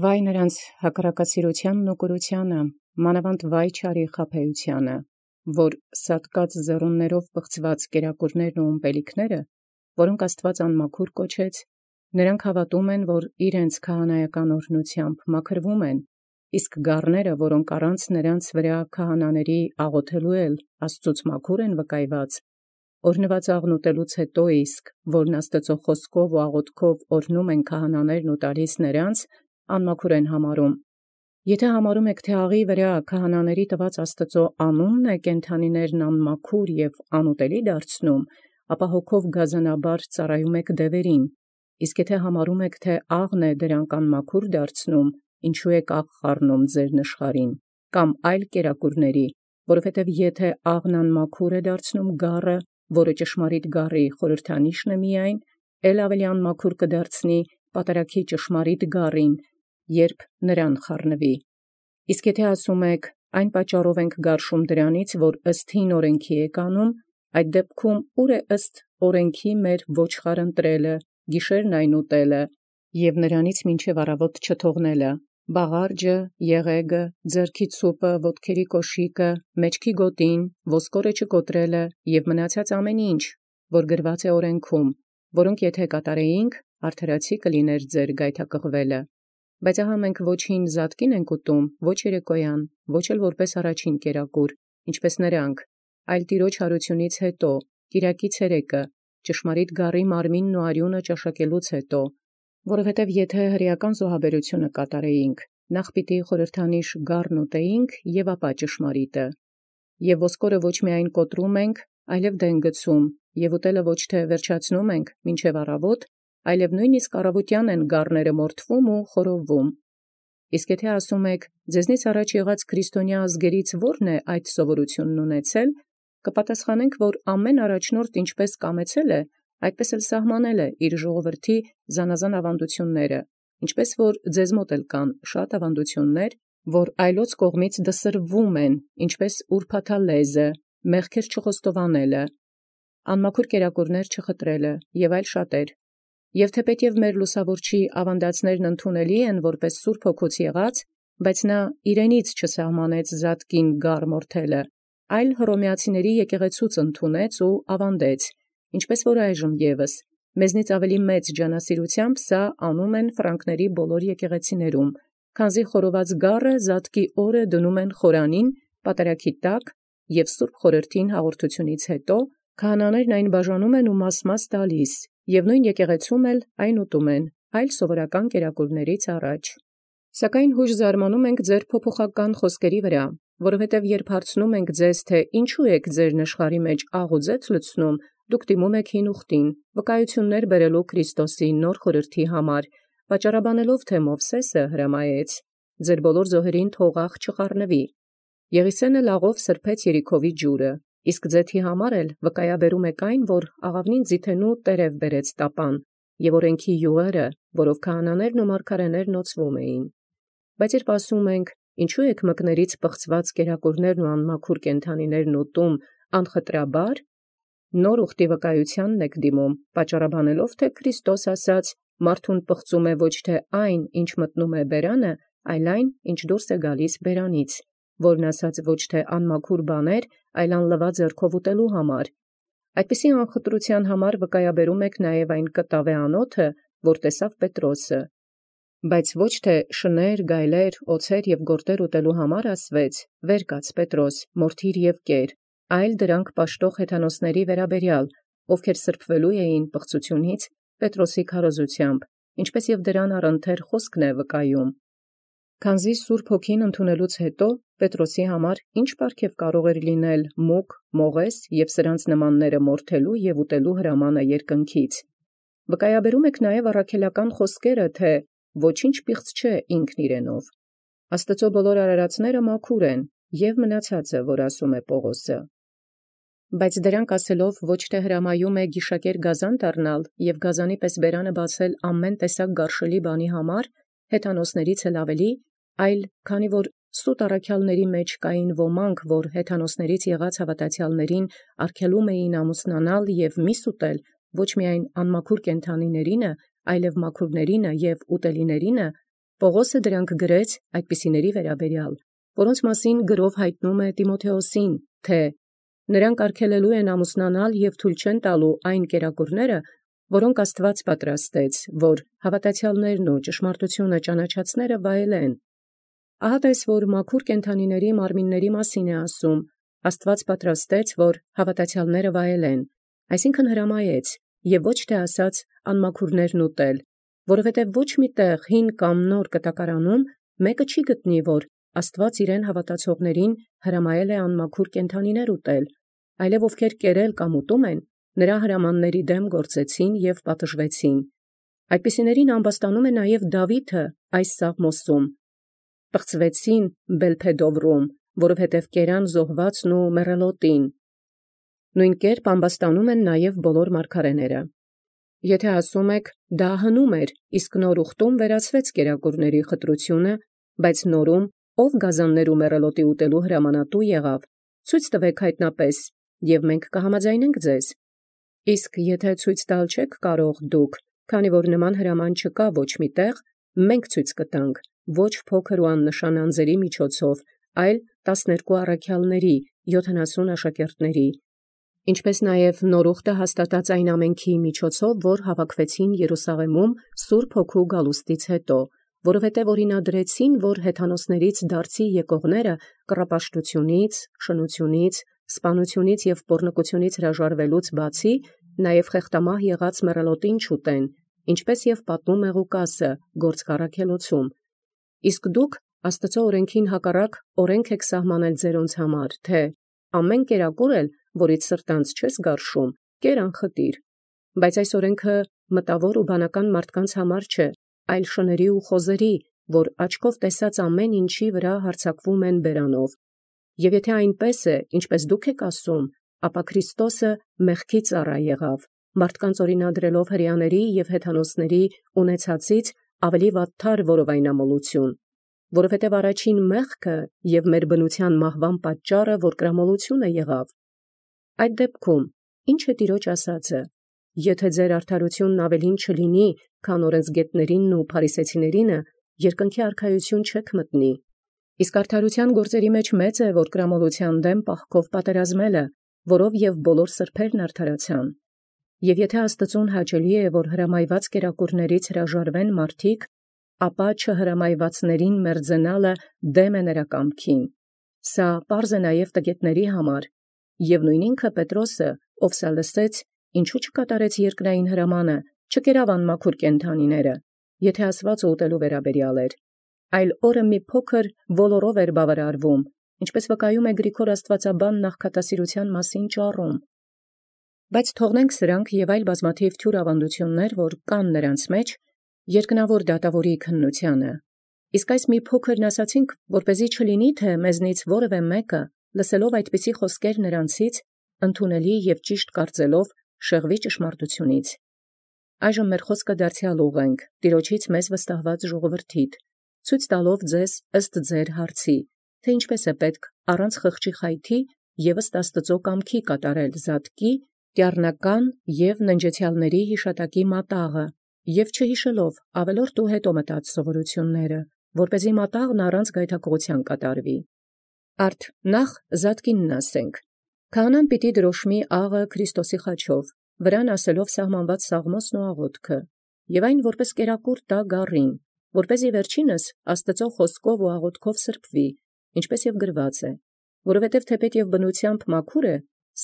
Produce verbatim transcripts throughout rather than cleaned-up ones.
Վայ նոցին հակառակասիրութեանն և կուրութեանն, մանաւանդ վայ չարի խաբեութեանն, որ սատկած ձեռումբք պղծուած կերակուրս և ըմպելիքս, որք Աստուած անմաքուր կոչեց, նոցին հաւատում, որ իրանց քահանայական օրհնութեամբ մաքրեալ, իսկ գառս, որք առանց նոցին քահանաց աղաւթելոյ էլ Աստուծոյ մաքուր են վկայեալ, օրհնեալ աղնուտելոց յետոյ իսկ, որն Աստուծոյ խօսքով և աղաւթքով օրհնում են քահանաներն և տալիս նոցին, անմաքուր են համարում։ Եթէ համարում եք, թէ յաղիի քահանաց տուած Աստուծոյ անունն է կենդանիցն անմաքուր և անուտելի դարձուցանէ, ապա հոգով գազանաբար ծառայում եք դևերին. իսկ եթէ համարում եք, թէ աղն է դրանք անմաքուր դարձուցանէ, յինչո՞ւ եք աղ խառնում զնշխարհին, կամ այլ կերակուրս, քանզի եթէ աղն անմաքուր է դարձուցանէ գառը, որը ճշմարիտ գառի խորհրդանիշն է միայն, ե՛լ ավելի անմաքուր կդարձնի պատարագի ճշմարիտ գառին, յորժամ նոցին խառնվի։ Իսկ եթէ ասում եք, այն պատճառով ենք գարշում դրանից, որ ըստ հին օրենքի անենք, այդ դեպքում ո՛ւր է ըստ օրենքի ոչխար ընտրելը, գիշերն այն ուտելը, և նոցին մինչև առաւոտ չթողնելը, բաղարջը, եղէգը, ձեռքի ցուպը, ոտքերի կոշիկը, մեջքի գոտին, ոսկորը չկոտրելը և մնացեալ ամենայն ինչ, որ գրեալ է օրենքում, որք եթէ կատարեիցեմք, արդարացի կլինէր ձեր գայթակղելը։ Բայց ահա մենք ոչ յին զատկին ենք ուտում, ոչ երեկոյան, ոչ էլ որպէս առաջին կերակուր, ինչպէս նոցին, այլ յաջորդեալ յարութիւնից յետոյ, կիրակի ցերեկը, ճշմարիտ գառի մարմինն և արիւնը ճաշակելուց յետոյ. քանզի եթէ հրեական զոհաբերութիւնը կատարեինք, նախ պիտի խորհրդանիշ գառն ուտեինք և ապա ճշմարիտը։ Եւ ոսկորը ոչ միայն կոտրում ենք, այլև դեն գցում, և ուտելը ոչ թէ վերջացնում ենք մինչև առաւոտ, այլև նոյնիսկ առաւոտեան են գառս մորթվում և խորովվում։ Իսկ եթէ ասում եք, ձեզնից առաջ եղեալ քրիստոնյա ազգերից ո՞րն է այդ սովորութիւնն ունեցել, կպատասխանենք, որ ամեն առաջնորդ ինչպէս կամեցել է, այնպէս էլ սահմանել է ժողովրդոյ զանազան աւանդութիւնս, ինչպէս որ ձեզմոտ էլ կան բազում աւանդութիւնս, որ այլոց կողմէն դսրուին են, ինչպէս ուրբաթալեզը, մեղքեր չխոստովանելը, անմաքուր կերակուրս չխտրելը և այլն. և թէպէտ մեր լուսաւորչի աւանդելոցն ընդունելի են որպէս սուրբ հոգուց եկելոցն, բայց նորա իւրենից չսահմանեալ զատկին գառ մորթելը, այլ հռոմեացիների եկեղեցւոյ ընդունէր և աւանդեալ, ինչպէս որ այժմ ևս մեզնից ավելի մեծ ջանասիրութեամբ զանուանք զֆրանկացն ամենայն եկեղեցեաց, քանզի խորոված գառը զատկի օրը դնում խորանին պատարագի տակ, և սուրբ խորհրդին յաղորդութիւնից յետոյ քահանաներն այն բաժանեն և մասմաս տալիս, և նովին եկեղեցւոյ էլ այն ուտում, այլ սովորական կերակուրս առաջ։ Սակայն յոժ զարմանում ենք փոփոխական բանիցն, որովհետև յորժամ հարցնում ենք ձեզ, թէ «Ինչո՞ւ եք զնշխարհի աղ և ձեթ լցնում, դուք դիմում եք հին ուխտին, վկայութիւնս բերելոյ Քրիստոսի նոր խորհրդին, պատճառաբանելով թէ Մովսէս հրամայեց. ձեր բոլոր զոհերին թող աղ չխառնվի. Եղիսէն էլ աղով սրբոյց Երիքովի ջուրը, իսկ ձեթի էլ վկայաբերում եք այն, որ աղաւնին ձիթենու տերև բերեց տապան, և օրենքի իւղերը, որով քահանաներն և մարգարէքն օծվում էին։ Բայց յորժամ ասում ենք, ինչո՞ւ եք մկնից պղծուած կերակուրս և անմաքուր կենդանիցն ուտում անխտրաբար, նոր ուխտի վկայութեանն եք դիմում, պատճառաբանելով թէ Քրիստոս ասաց. «Մարդուն պղծում է ոչ թէ այն, ինչ մտնում է բերանը, այլ այն, ինչ յորդորագալիս բերանից», որն ասաց ոչ թէ անմաքուր բաներ, այլ անլուակ ձեռամբ ուտելոյ համար։ Այդպիսի անխտրութեան համար վկայաբերում եք նաև այն կտաւէ անոթը, որ տեսաւ Պետրոսը. բայց ոչ թէ շնոր, գայլեր, օձեր և գորտեր ուտելոյ համար ասուեց. «Վեր կաց Պետրոս, մորթիր և կեր», այլ դրանք պաշտող հեթանոսաց, ովքեր սրբոյլ էին պղծութիւնից Պետրոսի քարոզութեամբ, ինչպէս և դրան առընթեր խոսքն է վկայում։ Քանզի սուրբ Հոգին ընդունելոց յետոյ Պետրոսի ի՞նչ պարգև կարող էր լինել մուկ, մողես և սրանց նմանս մորթելոյ և ուտելոյ հրամանն երկնքից։ Վկայաբերում եք նաև առաքելական խոսքերը, թէ «Ոչինչ պիղծ չէ ինքն իւրենով»։ Աստուծոյ բոլոր արարածքն մաքուր են, և մնացեալը, որ ասում է Պաւղոս։ Բայց դրանք ասելով ոչ թէ հրամայում է գիշակեր գազան դառնալ և գազանի պես բերանը բացել ամեն տեսակ գարշելի բաւնի, հեթանոսաց էլ ավելի, այլ քանի որ սուտ առաքելոցն կային ոմանք, որ հեթանոսաց եղած հաւատացեալսն արգելում էին ամուսնանալ և միս ուտել ոչ միայն անմաքուր կենդանիցն, այլև մաքուրացն և ուտելիցն, Պողոսը դրանք գրեց այդպիսիների վերաբերյալ, որոնց մասին գրով հայտնում է Տիմոթեոսին, թե նրանք արգելելու են ամուսնանալ և թույլ չեն տալու այն կերակուրները, որոնք Աստված պատրաստեց, որ հավատացյալներն ու ճշմարտությունը ճանաչածները վայելեն։ Ահա տես, որ մաքուր կենդանիների մարմինների մասին է ասում, Աստված պատրաստեց, որ հավատացյալները վայելեն, այսինքն հրամայեց, և ոչ թե ասաց անմաքուրներն ուտել, որովհետև ոչ մի տեղ հին կամ նոր կտակարանում մեկը չի գտնի, որ Աստված իրեն հավատացողներին հրամայել է անմաքուր կենդանիներ ուտել, այլև ովքեր կերել կամ ուտում են, նրա հրամանների դեմ գործեցին և պատժվեցին։ Այդպիսիներին ամբաստանում է նաև Դավիթը այս Սաղմոսում. «Պղծվեցին Բելփեդովրում, որովհետև կերան զոհվածն ու մեռելոտին»։ Նույն կերպ ամբաստանում են նաև բոլոր մարգարեները։ Եթե ասում եք, դա հնում էր, իսկ նոր ուխտում վերացվեց կերակուրների խտրությունը, բայց նորում ով գազաններ ու մեռելոտի ուտելու հրամանատու եղավ, ցույց տվեք հայտնապես, և մենք կհամաձայնենք ձեզ։ Իսկ եթե ցույց տալ չեք կարող դուք, քանի որ նման հրաման չկա ոչ մի տեղ, մենք ցույց կտանք, ոչ փոքր ու աննշան անձերի միջոցով, այլ տասներկու առաքյալների, յոթանասուն աշակերտների, ինչպես նաև նոր ուխտը հաստատած այն ամենքի միջոցով, որ հավաքվեցին Երուսաղեմում Սուրբ Հոգու գալուստից հետո, որովհետև օրինադրեցին, որ հեթանոսներից դարձի եկողները կռապաշտությունից, շնությունից, սպանությունից և պոռնկությունից հրաժարվելուց բացի, նաև խեղտամահ եղած մեռելոտին չուտեն, ինչպես և պատմում է Ղուկասը գործք առաքելոցում։ Իսկ դուք Աստծո օրենքին հակառակ օրենք եք սահմանել ձերոնց համար, թե ամեն կերակուր էլ, որից սրտանց չես գարշում, կեր անխտիր։ Բայց այս օրենքը մտավոր ու բանական մարդկանց համար չէ, այլ շների ու խոզերի, որ աչքով տեսած ամեն ինչի վրա հարձակվում են բերանով։ Եվ եթե այնպես է, ինչպես դուք եք ասում, ապա Քրիստոսը մեղքի ծառա եղավ, մարդկանց օրինադրելով հրեաների և հեթանոսների ունեցածից ավելի վատթար որովայնամոլություն, որովհետև առաջին մեղքը և մեր բնության մահվան պատճառը որկրամոլությունը եղավ։ Այդ դեպքում ի՞նչ է Տիրոջ ասածը. եթե ձեր արդարությունն ավելին չլինի, քան օրենսգետներինն ու փարիսեցիներինը, երկնքի արքայություն չեք մտնի։ Իսկ արդարության գործերի մեջ մեծ է որկրամոլության դեմ պահքով պատերազմելը, որով և բոլոր սրբերն արդարացան։ Եվ եթե Աստծուն հաճելի է, որ հրամայված կերակուրներից հրաժարվեն մարդիկ, ապա չհրամայվածներին մերձենալը դեմ է նրա կամքին։ Սա պարզ է նաև տգետների համար, և նույն ինքը Պետրոսը, ով սա լսեց, ինչու չկատարեց երկրային հրամանը, չկերավ անմաքուր կենդանիները, եթե ասված ուտելու վերաբերյալ էր, այլ օրը մի փոքր ոլորով էր բավարարվում, ինչպես վկայում է Գրիգոր Աստվածաբան նախքատասիրության մասին ճառում։ Բայց թողնենք սրանք և այլ բազմաթիվ թյուր ավանդություններ, որ կան նրանց մեջ, երկնավոր դատավորի քննությանը։ Իսկ այս մի փոքրն ասացինք, որպեսզի չլինի, թե մեզնից որևէ մեկը, լսելով այդպիսի խոսքեր նրանցից, ընդունելի և ճիշտ կարծելով, շեղվի ճշմարտությունից։ Այժմ մեր խոսքը դարձյալ ուղղենք Տիրոջից մեզ վստահված ժողովրդիդ, ցույց տալով ձեզ ըստ ձեր հարցի, թե ինչպես է պետք առանց խղճի խայթի և ըստ Աստծո կամքի կատարել զատկի, տյառնական և ննջեցյալների հիշատակի մատաղը, և չհիշելով ավելորդ ու հետո մտած սովորությունները, որպեսզի մատաղն առանց գայթակղության կատարվի։ Արդ նախ զատկինն ասենք. Քահանան պիտի դրոշմի աղը Քրիստոսի խաչով, վրան ասելով սահմանված սաղմոսն ու աղոթքը, և այն որպես կերակուր տա գառին, որպեսզի վերջինս Աստծո խոսքով ու աղոթքով սրբվի, ինչպես և գրված է, որովհետև թեպետ և բնությամբ մաքուր է,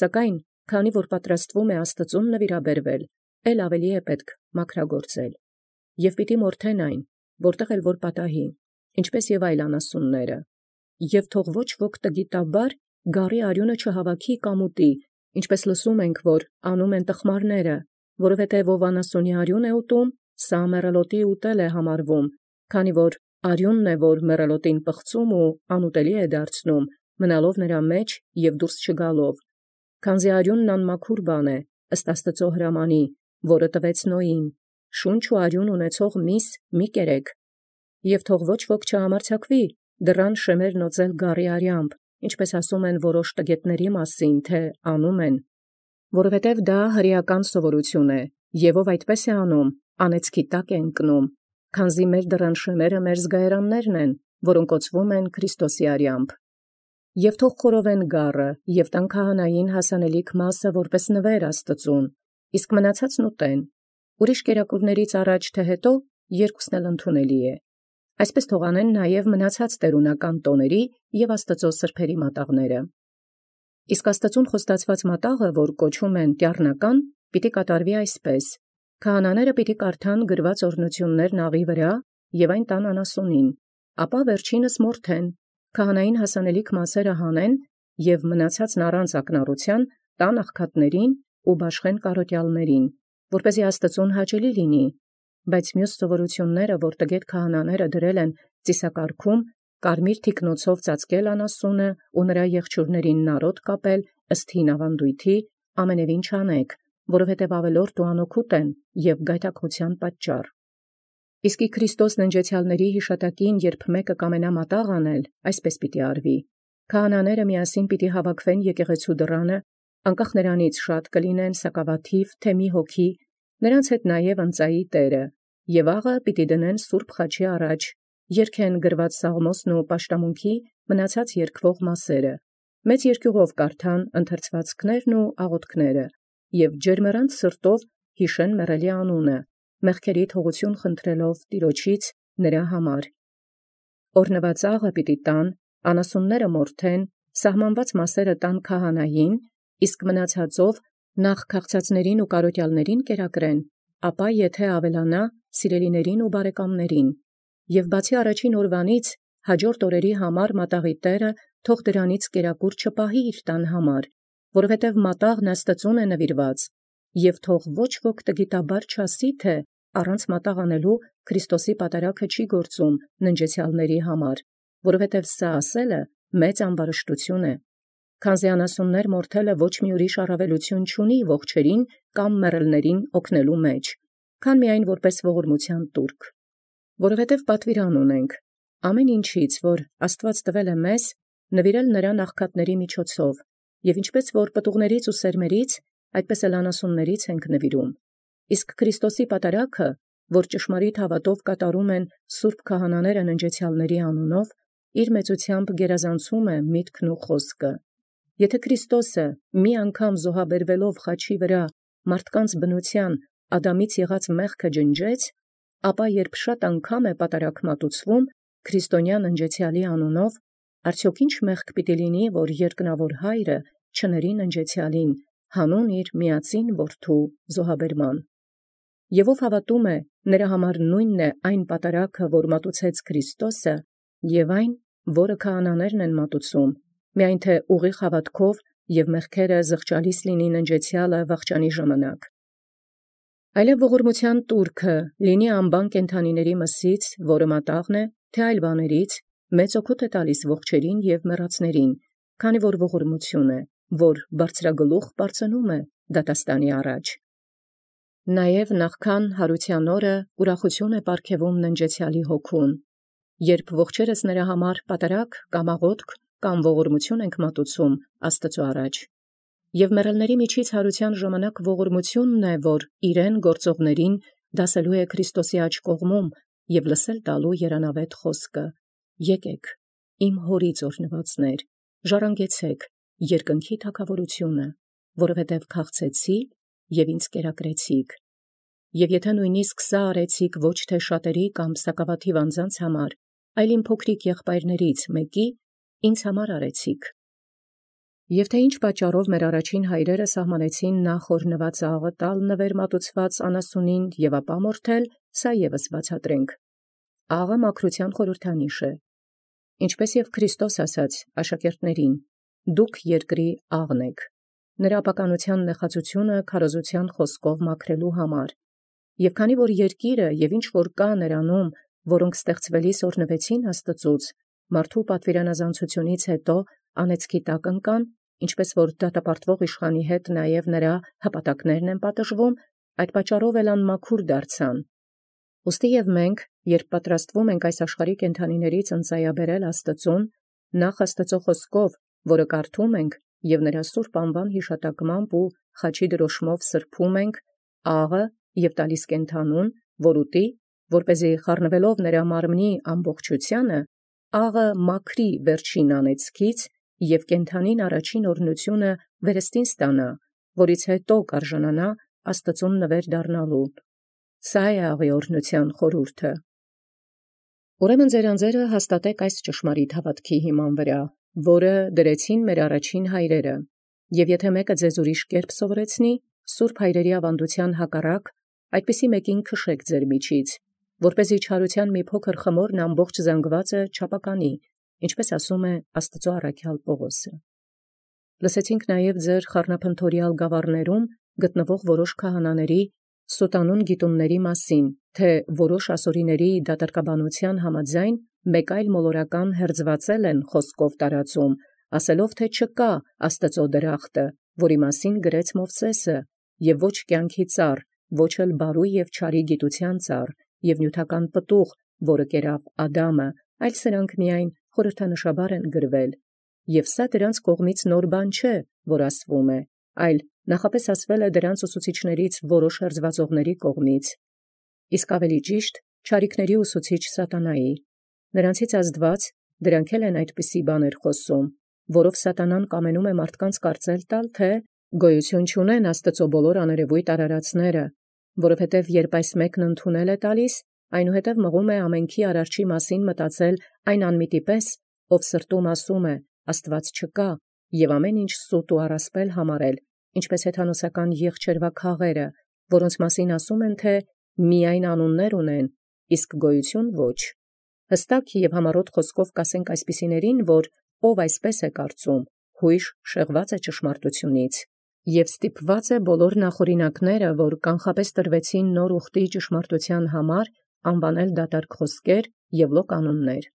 սակայն քանի որ պատրաստվում է Աստծուն նվիրաբերվել, էլ ավելի է պետք մաքրագործել։ Եվ պիտի մորթեն այն, որտեղ էլ որ պատահի, ինչպես և այլ անասունները, և թող ոչ ոք տգիտաբար գառի արյունը չհավաքի կամ ուտի, ինչպես լսում ենք, որ անում են տխմարները, որովհետև ով անասունի արյուն է ուտում, սա մեռելոտի ուտել է համարվում, քանի որ արյունն է, որ մեռելոտին պղծում ու անուտելի է դարձնում, մնալով նրա մեջ և դուրս չգալով, քանզի արյունն անմաքուր բան է, ըստ Աստծո հրամանի, որը տվեց Նոյին, շունչ ու արյուն ունեցող միս մի կերեք, և թող ոչ ոք չհամարձակվի դռան շեմերն օծել գառի արյամբ, ինչպես ասում են որոշ տգետների մասին, թե անում են, որովհետև դա հրեական սովորություն է, և ով այդպես է անում, անեծքի տակ է ընկնում, Քանզի մեր դրանշները մեր զգայարաններն են, որոնք կոչվում են Քրիստոսի արյամբ։ Եվ թող խորովեն գառը, եւ տան քահանային հասանելիք մասը որպես նվեր Աստծուն, իսկ մնացածն ուտեն։ Ուրիշ կերակուրներից առաջ թե հետո երկուսն էլ ընդունելի է։ Այսպես թողանեն նաև մնացած տերունական տոների եւ Աստծո սրբերի մատաղները։ Իսկ Աստծուն խոստացված մատաղը, որ կոչում են տյառնական, պիտի կատարվի այսպես. քահանաները պիտի կարդան գրված օրհնություններն աղի վրա եւ այն տան անասունին, ապա վերջինս մորթեն, քահանային հասանելիք մասերը հանեն եւ մնացածն առանց ակնառության տան աղքատներին ու բաշխեն կարոտյալներին, որպեսզի Աստծուն հաճելի լինի, բայց մյուս սովորությունները, որ տգետ քահանաները դրել են ծիսակարգում, կարմիր թիկնոցով ծածկել անասունը ու նրա եղջյուրներին նարոտ կապել ըստ հին ավանդույթի, ամենևին չանեք, որովհետև ավելորդ ու անօգուտ են եւ գայթակղության պատճառ։ Իսկ Քրիստոս ննջեցյալների հիշատակին, երբ մեկը կամենա մատաղ անել, այսպես պիտի արվի. քահանաները միասին պիտի հավաքվեն եկեղեցու դռանը, անկախ նրանից շատ կլինեն սակավաթիվ, թե մի հոգի, նրանց հետ նաև ընծայի տերը, եւ աղը պիտի դնեն սուրբ խաչի առաջ, երգեն գրված սաղմոսն ու պաշտամունքի մնացած երգվող մասերը, մեծ երկյուղով կարդան ընթերցվածքներն ու աղոթքները, եւ ջերմեռանդ սրտով հիշեն մեռելի անունը, մեղքերի թողություն խնդրելով Տիրոջից նրա համար։ Օրհնված աղը պիտի տան, անասունները մորթեն, սահմանված մասերը տան քահանային, իսկ մնացածով նախ քաղցածներին ու կարոտյալներին կերակրեն, ապա եթե ավելանա, սիրելիներին ու բարեկամներին, եւ բացի առաջին օրվանից հաջորդ օրերի համար մատաղի տերը թող դրանից կերակուր չպահի իր տան համար, որովհետև մատաղն Աստծուն է նվիրված, եւ թող ոչ ոք տգիտաբար չասի, թե առանց մատաղ անելու Քրիստոսի պատարագը չի գործում ննջեցյալների համար, որովհետև սա ասելը մեծ ամբարշտություն է, քանզի անասուններ մորթելը ոչ մի ուրիշ առավելություն չունի ողջերին կամ մեռելներին օգնելու մեջ, քան միայն որպես ողորմության տուրք, որովհետև պատվիրան ունենք ամեն ինչից, որ Աստված տվել է մեզ, նվիրել նրան աղքատների միջոցով, եւ ինչպես որ պտուղներից ու սերմերից, այդպես էլ անասուններից ենք նվիրում, իսկ Քրիստոսի պատարագը, որ ճշմարիտ հավատով կատարում են սուրբ քահանաները ննջեցյալների անունով, իր մեծությամբ գերազանցում է միտքն ու խոսքը։ Եթե Քրիստոսը մի անգամ զոհաբերվելով խաչի վրա մարդկանց բնության Ադամից եղած մեղքը ջնջեց, ապա երբ շատ անգամ է պատարագ մատուցվում քրիստոնյա ննջեցյալի անունով, արդյոք ինչ մեղք պիտի լինի, որ երկնավոր Հայրը չների ննջեցյալին հանուն իր միածին որդու զոհաբերման։ Եվ ով հավատում է, նրա համար նույնն է այն պատարագը, որ մատուցեց Քրիստոսը, եւ այն, որը քահանաներն են մատուցում, միայն թե ուղիղ հավատքով եւ մեղքերը զղջալիս լինի ննջեցյալը վախճանի ժամանակ։ Այլև ողորմության տուրքը լինի անբան կենդանիների մսից, որը մատաղն է, թե այլ բաներից, մեծ օգուտ է տալիս ողջերին եւ մեռածներին, քանի որ ողորմություն է, որ բարձրագլուխ բարձնում է դատաստանի առաջ։ Նաև նախքան հարության օրը ուրախություն է պարգևում ննջեցյալի հոգուն, երբ ողջերս նրա համար պատարագ կամ աղոթք կամ ողորմություն ենք մատուցում Աստծո առաջ։ Եվ մեռելների միջից հարության ժամանակ ողորմությունն է, որ իրեն գործողներին դասելու է Քրիստոսի աջ կողմում եւ լսել տալու երանավետ խոսքը. եկեք, իմ հորից օրհնվածներ, ժառանգեցեք երկնքի թագավորությունը, որովհետև քաղցեցի եւ ինձ կերակրեցիք։ Եվ եթե նույնիսկ սա արեցիք ոչ թե շատերի կամ սակավաթիվ անձանց համար, այլ իմ փոքրիկ եղբայրներից մեկի, ինձ համար արեցիք։ Եվ թե ինչ պատճառով մեր առաջին հայրերը սահմանեցին նախ օրհնված աղը տալ նվեր մատուցված անասունին եւ ապա մորթել, սա եւս բացատրենք։ Աղը մաքրության խորհրդանիշ է, ինչպես եւ Քրիստոս ասաց աշակերտներին. դուք երկրի աղն եք, նրա ապականության նեղացությունը քարոզության խոսքով մաքրելու համար։ Եւ քանի որ երկիրը եւ ինչ որ կա նրանում, որոնք ստեղծվելիս օրհնվեցին Աստծուց, մարդու պատվիրանազանցությունից հետո անեծքի տակ ընկան, ինչպես որ դատապարտվող իշխանի հետ նաև նրա հպատակներն են պատժվում, այդ պատճառով էլ անմաքուր դարձան։ Ուստի եւ մենք, երբ պատրաստվում ենք այս աշխարհի կենդանիներից ընծայաբերել Աստծուն, նախ Աստծո խոսքով, որը կարդում ենք եւ նրա սուրբ անվան հիշատակմամբ ու խաչի դրոշմով սրբում ենք աղը եւ տալիս կենդանուն, որ ուտի, որպեսզի խառնվելով նրա մարմնի ամբողջութիւնը, աղը մաքրի վերջին անեծքից և կենդանին առաջին օրհնութիւնը վերստին ստանա, որից հետո կարժանանա Աստուծոյ նվեր դառնալու։ Սա է աղի օրհնութեան խորհուրդը։ Ուրեմն ձեր անձերը հաստատեք այս ճշմարիտ հաւատքի հիման վրա, որը դրեցին մեր առաջին հայրերը, և եթե մեկը ձեզ ուրիշ կերպ սովորեցնի, սուրբ հայրերի ավանդութեան հակառակ, այդպիսի մեկին քշեք ձեր միջից, որպեսզի չարութեան մի փոքր խմորն ամբողջ զանգվածը չապականի, ինչպես ասում է Աստուծոյ առաքյալ Պաւղոսը։ Լսեցինք նաև ձեր խառնափնթորյալ գաւառներում գտնվող որոշ քահանաների սուտանուն գիտումների մասին, թե որոշ ասորիների դատարկաբանութեան համաձայն մեկ այլ մոլորական հերձուածել են խոսքով տարածում, ասելով թէ չկա Աստուծոյ դրախտը, որի մասին գրեց Մովսէսը, եւ ոչ կյանքի ծառ, ոչ էլ բարու եւ չարի գիտութեան ծառ, եւ նյութական պտուղ, որը կերավ Ադամը, այլ սրանք միայն խորհրդանշաբար են գրվել։ Եւ սա դրանց կողմից նոր բան չէ, որ ասվում է, այլ նախապես ասվել է դրանց ուսուցիչներից որոշ հերձվածողների կողմից, իսկ ավելի ճիշտ չարիքների ուսուցիչ Սատանայի։ Նրանցից ազդված դրանք էլ են այդպիսի բաներ խոսում, որով Սատանան կամենում է մարդկանց կարծել տալ, թե գոյություն չունեն Աստուծոյ բոլոր աներևույթ արարածները, որովհետև երբ այս մեկն ընդունել է տալիս, այնուհետև մղում է ամենքի արարչի մասին մտածել այն անմիտի պես, ով սրտում ասում է. Աստված չկա, եւ ամեն ինչ սուտ ու առասպել համարել, ինչպես հեթանոսական եղջերվա քաղերը, որոնց մասին ասում են, թե միայն անուններ ունեն, իսկ գոյություն ոչ։ Հստակ եւ համառոտ խոսքով կասենք այսպիսիներին, որ ով այսպես է կարծում, հույժ շեղված է ճշմարտությունից, եւ ստիպված է բոլոր նախօրինակները, որ կանխապես տրվեցին նոր ուխտի ճշմարտութեան համար, անվանել դատարկ խոսքեր եւ լոկ անուններ։